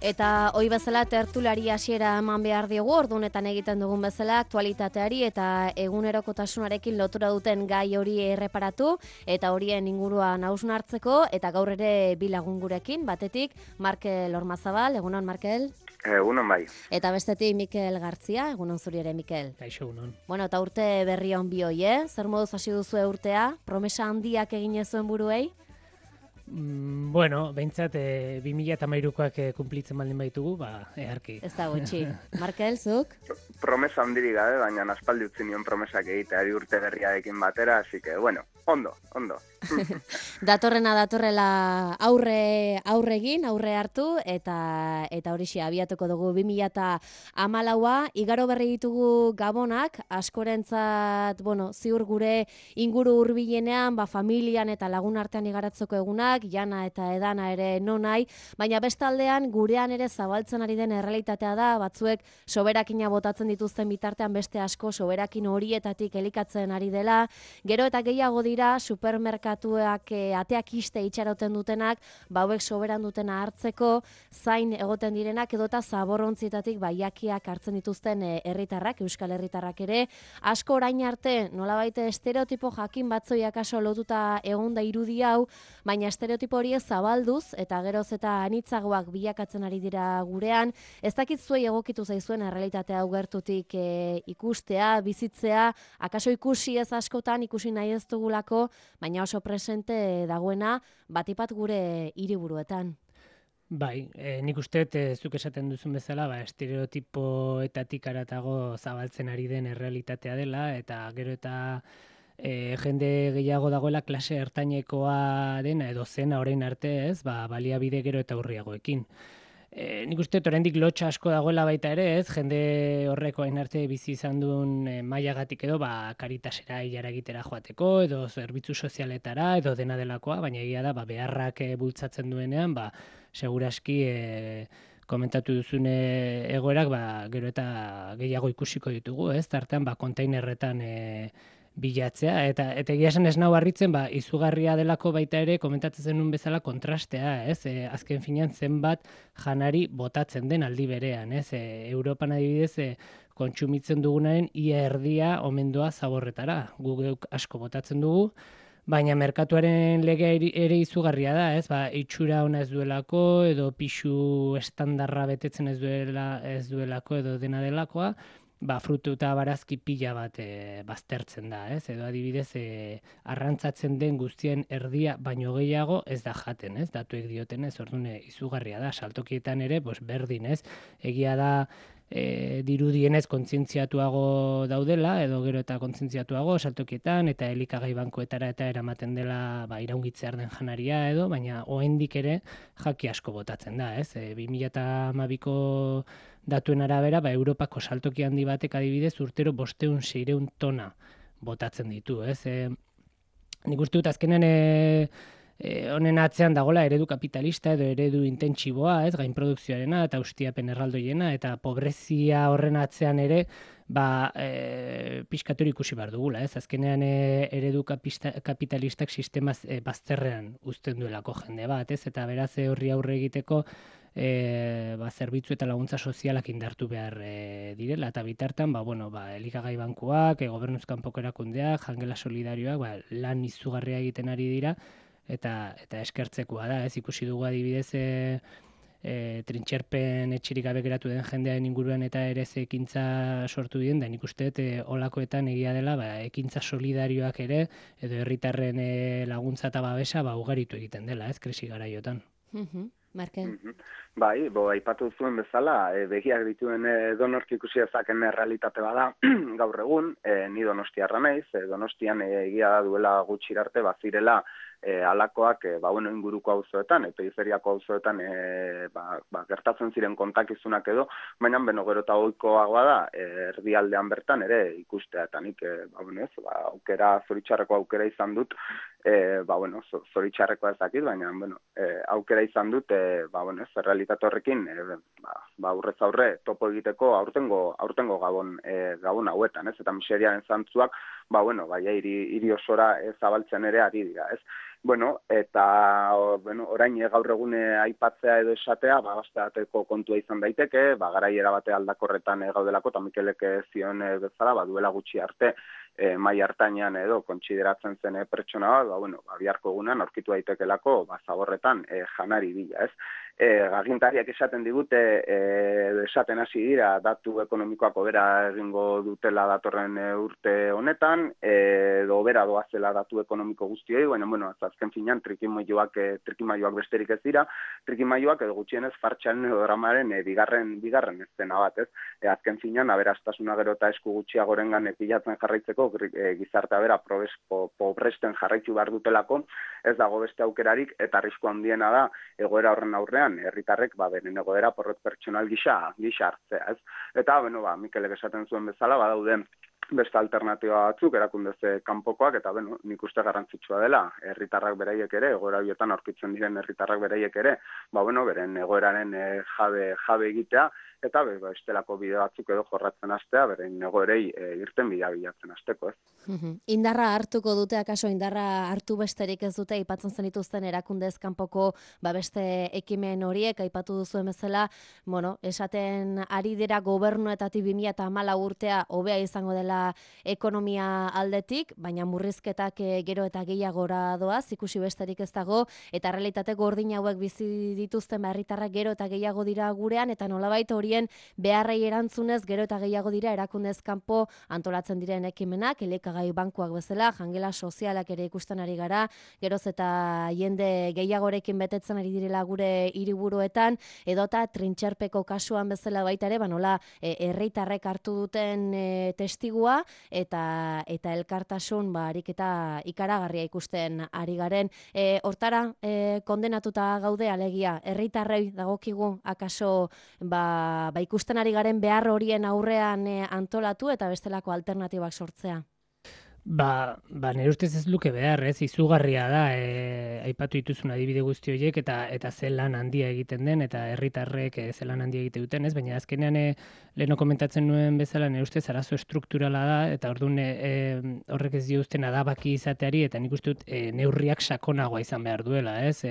Eta hoi bezala tertulari hasiera eman behar diogu, ordunetan egiten dugun bezala aktualitateari eta egunerokotasunarekin lotura duten gai hori erreparatu eta horien inguruan hausnartzeko eta gaur ere bi lagun gurekin, batetik Markel Ormazabal, egunon Markel. Egunon bai. Eta bestetik Mikel Gartzia, egunon zuri ere Mikel. Kaixo, egunon. Bueno, eta urte berri on bi hoi, Zer moduz hasi duzu urtea? Promesa handiak egin zuen buruei? Bueno, behintzat 2013koak kumplitzen baldin baitugu, eharki. Ez da gutxi. Markel, zuk? Promesa handirik gabe, baina aspaldi utzi nion promesak egiteari urte berriarekin batera, así que, bueno, ondo. Datorrela aurre hartu eta horixe abiatuko dugu 2014a, igaro berri ditugu gabonak, askorentzat, ziur gure inguru hurbilenean, familian eta lagun artean igaratzeko egunak, jana eta edana ere nonai, baina bestaldean gurean ere zabaltzen ari den errealitatea da, batzuek soberakina botatzen dituzten bitartean beste asko soberakin horietatik elikatzen ari dela, gero eta gehiago dira supermerkatuak ateak iste itxaroten dutenak, hauek soberan dutena hartzeko, zain egoten direnak edota zaborrontzietatik jakiak hartzen dituzten herritarrak, euskal herritarrak ere, asko orain arte nolabait estereotipo jakin batzoi akaso lotuta egonda irudi hau, baina estereotipo horiek zabalduz eta geroz eta anitzagoak bilakatzen ari dira gurean, ez dakit zuei egokitu zaizuen errealitatea hau gertutik ikustea, bizitzea, akaso ikusi ez askotan, ikusi nahi ez dugulako, baina oso presente dagoena batipat gure hiriburuetan. Bai, nik uste zuk esaten duzun bezala, estereotipoetatik aratago zabaltzen ari den errealitatea dela, eta gero eta jende gehiago dagoela klase ertainekoa dena edo zena orain arte ez, baliabide gero eta urriagoekin. Nik uste oraindik lotxa asko dagoela baita ere ez, jende horreko hain arte bizi izan duen mailagatik edo Caritasera hilara egitera joateko, edo zerbitzu sozialetara, edo dena delakoa, baina egia da beharrak bultzatzen duenean, seguraski komentatu duzun egoerak gero eta gehiago ikusiko ditugu, ez? Tartean kontainerretan bilatzea, eta egia esan ez nau harritzen, izugarria delako baita ere, komentatzen zenun bezala kontrastea, ez? Azken finean zenbat janari botatzen den aldi berean, ez? Europan adibidez, kontsumitzen dugunaren ia erdia omendoa zaborretara, guk asko botatzen dugu, baina merkatuaren legea ere izugarria da, ez? Itxura ona ez duelako, edo pixu estandarra betetzen ez duelako, edo dena delakoa, frutu eta barazki pila bat baztertzen da, ez? Edo adibidez, arrantzatzen den guztien erdia baino gehiago ez da jaten, ez? Datuek dioten ez, orduan izugarria da, saltokietan ere, berdin, ez? Egia da, dirudienez kontzientziatuago daudela, edo gero eta kontzientziatuago saltokietan, eta elikagai bankoetara eta eramaten dela iraungitzear den janaria edo, baina oraindik ere jaki asko botatzen da, ez? 2012ko datuen arabera, Europako saltoki handi batek adibidez urtero 500-600 tona botatzen ditu, ez? Nik uste dut azkenen honen atzean dagola eredu kapitalista edo eredu intentsiboa, ez, gainprodukzioarena eta ustiapen erraldoiena, eta pobrezia horren atzean ere, pixkatori ikusi behar dugula, ez, azkenean eredu kapitalistak sistemaz bazterrean uzten duelako jende bat, ez, eta beraz horri aurre egiteko zerbitzu eta laguntza sozialak indartu behar direla, eta bitartan, elikagai bankuak, gobernuz kanpoko erakundeak, jangela solidarioak, lan izugarria egiten ari dira, eta eskertzekoa da, ez ikusi dugu adibidez trintxerpen etxirik gabe geratu den jendearen inguruan eta ere ekintza sortu dien, da nik uste olakoetan egia dela ekintza solidarioak ere, edo herritarren laguntza eta babesa ugaritu egiten dela, ez, krisi garaiotan. Markel? Bai, aipatu zuen bezala, begiak dituen Donork ikusi dezaken realitate bada gaur egun, ni donostiarra naiz, Donostian egia da duela gutxi arte bazirela alakoak inguruko auzoetan, periferiako auzoetan gertatzen ziren kontakizunak edo, baina gero eta ohikoagoa da erdialdean bertan ere ikustea, eta nik zoritxarreko aukera izan dut, zoritxarrekoa ez dakit, baina aukera izan dut, realitate horrekin aurrez aurre topo egiteko aurtengo gabon hauetan, ez? Eta miseriaren zantzuak hiri osora zabaltzen ere ari dira, ez? Bueno, eta orain gaur egune aipatzea edo esatea, bastateko kontua izan daiteke, garaiera bate aldakorretan gaudelako, eta Mikelek zion bezala, duela gutxi arte, mai hartainan edo kontsideratzen zen pertsona bat, biharko egunean aurkitu daitekelako zaborretan janari bila, ez? Agintariak esaten digute, esaten hasi dira, datu ekonomikoak hobera egingo dutela datorren urte honetan, edo hobera doazela datu ekonomiko guztioi, baina, azken finean, trikimailuak besterik ez dira, trikimailuak edo gutxienez fartxaren edo dramaren bigarren eztena bat, ez? Azken finean, aberastasuna gero eta esku gutxiagorengan pilatzen jarraitzeko, gizartea bera pobresten jarraitu behar dutelako, ez dago beste aukerarik, eta arrisku handiena da, egoera horren aurrean, herritarrek beren egoera porrot pertsonal gisa hartzea, ez? Eta, Mikelek esaten zuen bezala, badaude beste alternatiba batzuk, erakundez kanpokoak, eta nik uste garrantzitsua dela, herritarrak beraiek ere, egoera horietan aurkitzen diren herritarrak beraiek ere, beren egoeraren jabe egitea, eta estelako bide batzuk edo jorratzen hastea, beren egoerei irten bidea bilatzen hasteko, ez? Indarra hartuko dute, akaso indarra hartu besterik ez dute, aipatzen zenituzten erakundez kanpoko beste ekimen horiek, aipatu duzuen bezala, esaten ari dira gobernuetatik 2014 urtea hobea izango dela ekonomia aldetik, baina murrizketak gero eta gehiagora doaz, ikusi besterik ez dago, eta realitate gordin hauek bizi dituzten herritarrak gero eta gehiago dira gurean, eta nolabait horien beharrei erantzunez gero eta gehiago dira erakundez kanpo antolatzen diren ekimenak, elikagai bankuak bezala, jangela sozialak ere ikusten ari gara, geroz eta jende gehiagorekin betetzen ari direla gure hiriburuetan, edota trintxerpeko kasuan bezala baita ere, nola herritarrek hartu duten testigua, eta elkartasun ariketa ikaragarria ikusten ari garen. Hortara, kondenatuta gaude alegia, herritarrei dagokigu akaso ikusten ari garen behar horien aurrean antolatu eta bestelako alternatibak sortzea? Nire ustez ez luke behar, ez, izugarria da, aipatu dituzun adibide guzti horiek, eta zelan handia egiten den, eta herritarrek zelan handia egite duten, ez, baina azkenean leheno komentatzen nuen bezala, nire ustez arazo estrukturala da, eta orduan horrek ez diozten adabaki izateari, eta nik uste dut neurriak sakonagoa izan behar duela, ez,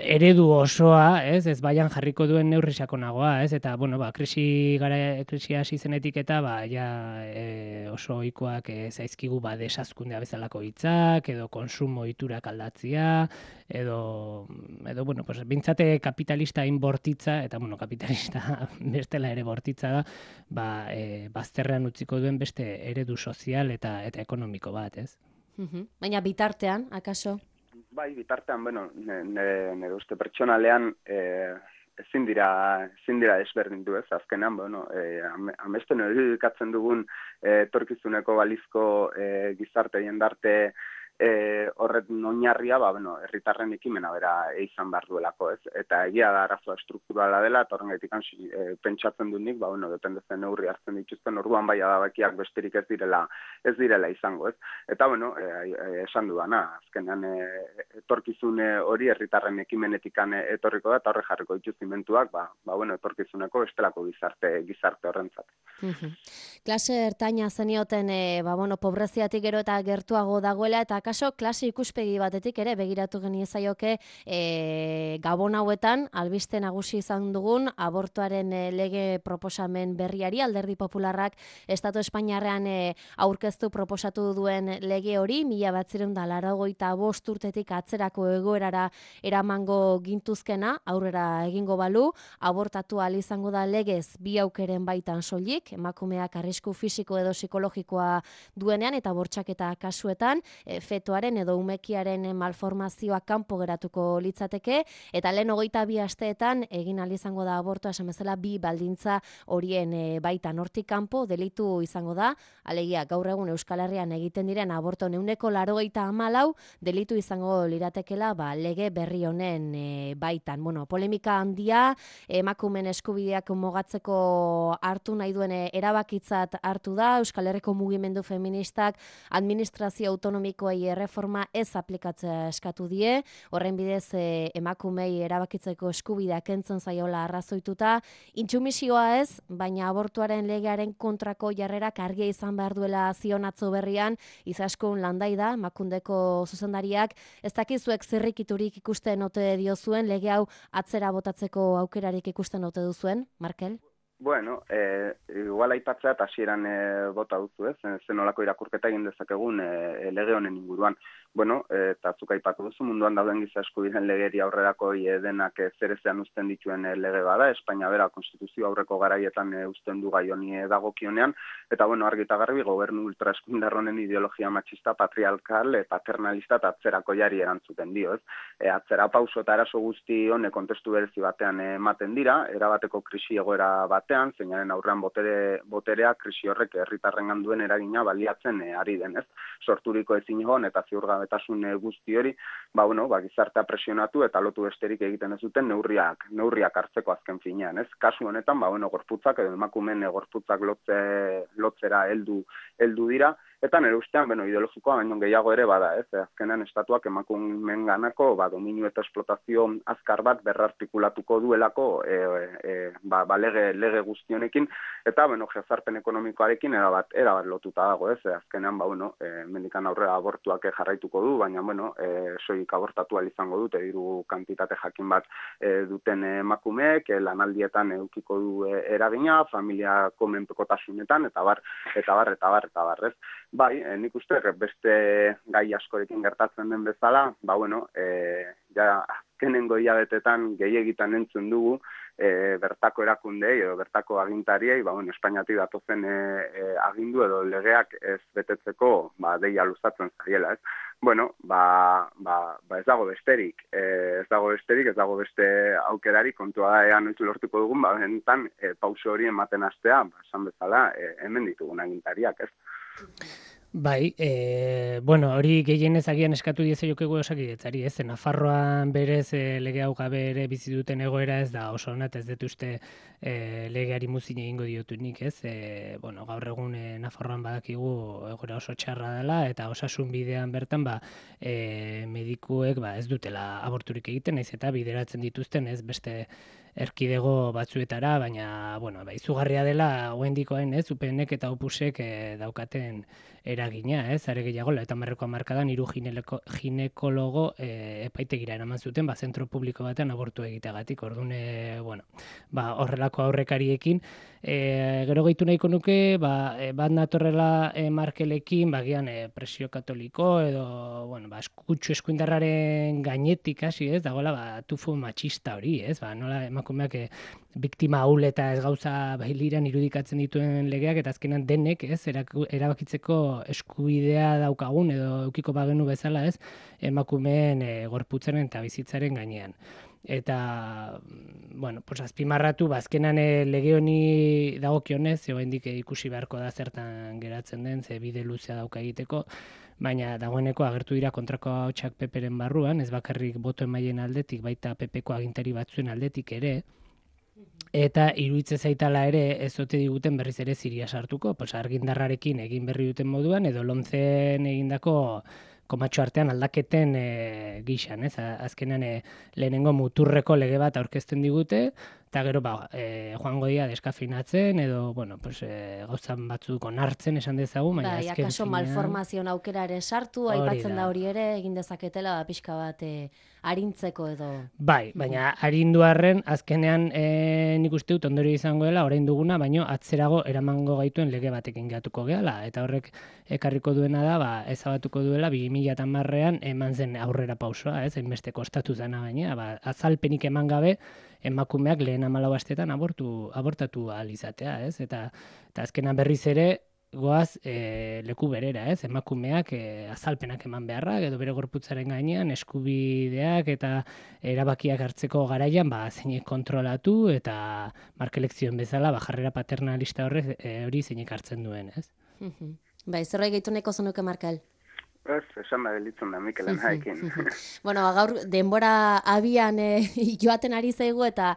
eredu osoa, ez baian jarriko duen neurri sakonagoa, ez, eta, krisia hasi zenetik eta, oso ohikoak zaizkigu desazkundea bezalako hitzak, edo konsumo ohiturak aldatzea, edo bintzate kapitalista inbortitza, eta, kapitalista bestela ere bortitza da, bazterrean utziko duen beste eredu sozial eta ekonomiko bat, ez? Baina bitartean, akaso? Bitartean, nire uste pertsonalean ezin dira desberdindu, ez, azkenean, amesten irudikatzen dugun etorkizuneko balizko gizarte jendarte horren oinarria, herritarren ekimena bera izan behar duelako, ez? Eta egia da arazoa strukturala dela, eta horrengaitik pentsatzen dut nik, dependezen neurri hartzen dituzten, orduan adabakiak besterik ez direla izango, ez? Eta, esan dudana, azkenean etorkizun hori herritarren ekimenetikan etorriko da, eta horre jarriko dituztimentuak, etorkizuneko bestelako gizarte horrentzat. Klase ertaina zenioten, pobreziatik gero eta gertuago dagoela, eta akaso klase ikuspegi batetik ere begiratu geniezaioke Gabon hauetan albiste nagusi izan dugun abortuaren lege proposamen berriari, Alderdi Popularrak Estatu Espainiarrean aurkeztu proposatu duen lege hori 1985 urtetik atzerako egoerara eramango gintuzkena, aurrera egingo balu, abortatu ahal izango da legez bi aukeren baitan soilik, emakumeak arrisku fisiko edo psikologikoa duenean eta bortxaketa kasuetan, fetoaren edo umekiaren malformazioa kanpo geratuko litzateke, eta lehen 22 asteetan egin ahal izango da abortua, esan bezala bi baldintza horien baitan, hortik kanpo delitu izango da, alegia gaur egun Euskal Herrian egiten diren aborto 94 delitu izango liratekela lege berri honen baitan. Polemika handia, emakumeen eskubideak mugatzeko hartu nahi duen erabakitzat hartu da, Euskal Herriko mugimendu feministak administrazio autonomikoei erreforma ez aplikatzea eskatu die, horren bidez emakumei erabakitzeko eskubidea kentzen zaiola arrazoituta, intsumisioa ez, baina abortuaren legearen kontrako jarrerak argia izan behar duela zion atzo berrian, Izaskun Landaida, Emakundeko zuzendariak, ez dakizuek zirrikiturik ikusten ote diozuen, lege hau atzera botatzeko aukerarik ikusten ote duzuen, Markel? Bueno, igual aipatzea eta hasieran bota duzu, zenolako irakurketa egin dezakegun lege honen inguruan. Bueno, eta zuk aipatu duzu, munduan dauden giza eskubideen legeri aurrerako denak zerezean uzten dituen lege bada, Espainia bera konstituzio aurreko garaietan uzten du gai honi dagokionean, eta bueno, argi eta garbi gobernu ultraeskundar honen ideologia matxista, patriarkal, paternalista eta atzerako jari erantzuten dio, ez? Atzera pauso eta eraso guzti honek kontestu berezi batean ematen dira, erabateko krisi egoera batean, zeinaren aurrean boterea krisi horrek herritarrengan duen eragina baliatzen ari denez. Sorturiko ezinegon eta ziurgabetasun guzti hori, gizartea presionatu eta lotu besterik egiten ez duten neurriak hartzeko azken finean, ez? Kasu honetan, gorputzak edo emakumeen gorputzak lotzera heldu dira, eta nire ustean, ideologikoa baino gehiago ere bada, ez? Azkenean estatuak emakumeen ganako, dominu eta esplotazio azkar bat berrartikulatuko duelako lege guztionekin, eta, jazarpen ekonomikoarekin erabat lotuta dago, ez? Azkenean, mendikan aurrera abortuak jarraituko du, baina, soik abortatu izango dute, diru kantitate jakin bat duten emakumeek, lanaldietan edukiko du eragina, familiako menpekotasunetan, eta bar, ez? Bai, nik uste beste gai askorekin gertatzen den bezala, azkenengo hilabetetan gehiegitan entzun dugu, bertako erakundei edo bertako agintariei, Espainiatik datozen agindu edo legeak ez betetzeko deia luzatzen zaiela, ez? Ez dago besterik, ez dago beste aukerari, kontua da ean noiz lortuko dugun, bentan pauso hori ematen hastea, esan bezala, hemen ditugun agintariak, ez? Bai, hori gehienez agian eskatu dieze jokegu Osakidetzari, ez? Nafarroan berez lege hau gabe ere bizi duten egoera ez da oso ona, ez dut uste legeari muzin egingo diotunik, ez? Gaur egun Nafarroan badakigu egoera oso txarra dela, eta osasun bidean bertan medikuek ez dutela aborturik egiten, naiz eta bideratzen dituzten, ez beste erkidego batzuetara, baina, izugarria dela, oraindikoen, ez, UPNek eta Opusek daukaten eragina, ez, are gehiago, eta marreko hamarkadan 3 ginekologo epaitegira eraman zuten, zentro publiko batean abortu egiteagatik, orduan, horrelako aurrekariekin, gero gehitu nahiko nuke, bat natorrela Markelekin, bagian presio katoliko, edo, eskutsu eskuindarraren gainetik hasi, ez, dagoela, tufu matxista hori, ez, nola emakumeak biktima ahul eta ez gauza bailiran irudikatzen dituen legeak, eta azkenan denek, ez, erabakitzeko eskubidea daukagun, edo eukiko bagenu bezala, ez, emakumeen gorputzaren eta bizitzaren gainean. Eta, azpimarratu, azkenan lege honi dagokionez, oraindik ikusi beharko da zertan geratzen den, ze bide luzea dauka egiteko, baina dagoeneko agertu dira kontrako ahotsak PPren barruan, ez bakarrik boto emaileen aldetik, baita PPko agintari batzuen aldetik ere, eta iruditzen zaitala ere ez ote diguten berriz ere ziria sartuko, argindarrarekin egin berri duten moduan, edo lomzen egindako komatxo artean aldaketen gixan, ez? Azkenean lehenengo muturreko lege bat aurkezten digute, eta gero joango dira deskafinatzen, edo, gauzan batzuk onartzen esan dezagun, baina azken akaso malformazioan aukera ere sartu, aipatzen da hori ere, egin dezaketela pixka bat arintzeko edo. Bai, baina arindu arren, azkenean nik uste dut ondorio izango dela, orain duguna, baino atzerago eramango gaituen lege batekin gehatuko gehala, eta horrek ekarriko duena da, ezabatuko duela 2010an eman zen aurrera pausoa, ez, hainbeste kostatu zena gaina, azalpenik eman gabe, emakumeak lehen 14 astetan abortatu ahal izatea, ez? Eta azkenan berriz ere goaz leku berera, ez? Emakumeak azalpenak eman beharrak edo bere gorputzaren gainean eskubideak eta erabakiak hartzeko garaian zeinek kontrolatu eta Markelekzioen bezala jarrera paternalista hori zeinek hartzen duen, ez? Zerbait gehitu nahiko zenuke, Markel? Ez, esan da gelitzen da Mikelen haekin. Bueno, gaur denbora abian joaten ari zaigu eta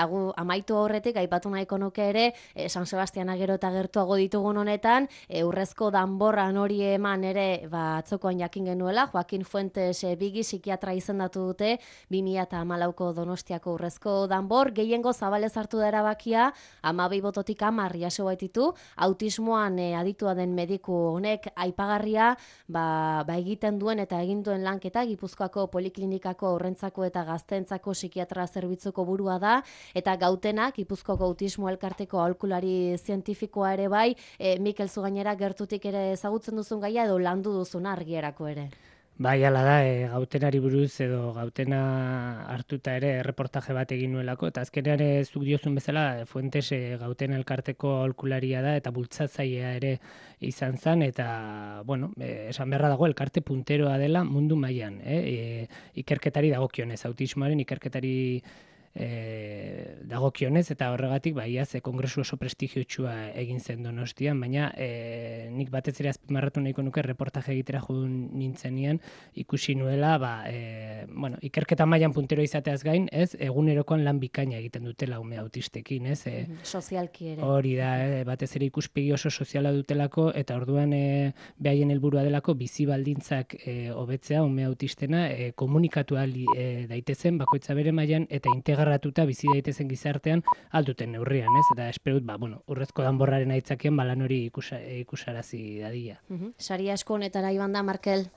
gu amaitu horretik aipatu nahiko nuke ere San Sebastiana gero eta gertuago ditugun honetan urrezko danborran hori eman ere atzokoan jakin genuela Joaquin Fuentes Bigi psikiatra izendatu dute 2014ko Donostiako urrezko danbor gehiengo zabalez hartu da erabakia 12 bototik 10 jaso baititu autismoan aditua den mediku honek aipagarria egiten duen eta egin duen lanketa Gipuzkoako Poliklinikako Haurrentzako eta Gazteentzako psikiatra zerbitzuko burua da eta Gautena Gipuzkoako Autismo Elkarteko aholkulari zientifikoa ere bai, Mikel zu gainera gertutik ere ezagutzen duzun gaia edo landu duzun argierako ere. Bai, ala da, Gautenari buruz edo Gautena hartuta ere reportaje bat egin nuelako, eta azkenean zuk diozun bezala Fuentes Gautena elkarteko aholkularia da eta bultzatzailea ere izan zen, eta, bueno, esan beharra dago elkarte punteroa dela mundu mailan, ikerketari dagokionez, autismoaren ikerketari dagokionez eta horregatik iaz kongresu oso prestigiotsua egin zen Donostian, baina nik batez ere azpimarratu nahiko nuke reportaje egitera jo nintzenean ikusi nuela bueno, ikerketa mailan puntero izateaz gain, ez egunerokoan lan bikaina egiten dutela ume autistekin, ez sozialki ere. Hori da, batez ere ikuspegi oso soziala dutelako eta orduan behaien helburua delako bizi baldintzak hobetzea ume autistena komunikatu daitezen bakoitza bere mailan eta integratuta bizi daitezen gizartean alduten neurrian, ez? Eta esperut, bueno, urrezko danborraren aitzakian lan hori ikusarazi dadila. Sari asko honetara iban da, Markel?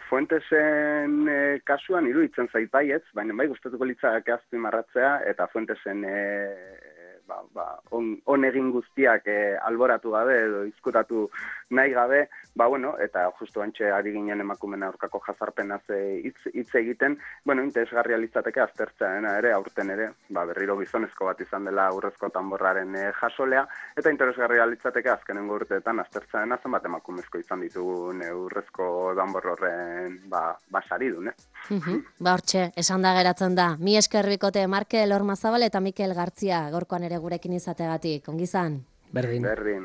Fuentesen kasuan iruditzen zait baietz, baina bai gustatuko litzake azpimarratzea eta Fuentesen on egin guztiak alboratu gabe edo izkutatu nahi gabe, bueno, eta justu antxe ari ginen emakumeen aurkako jazarpenaz hitz egiten, bueno, interesgarria litzateke aztertzean ere, aurten ere, berriro gizonezko bat izan dela urrezko danborraren jasolea, eta interesgarria litzateke azkenengo urteetan aztertzean zenbat emakumezko izan ditugun urrezko danbor horren saridun, Hortxe, esan da geratzen da. Mi esker bikote Markel Ormazabal eta Mikel Gartzia, gorkoan ere gurekin izategatik. Ongi izan? Berdin. Berdin.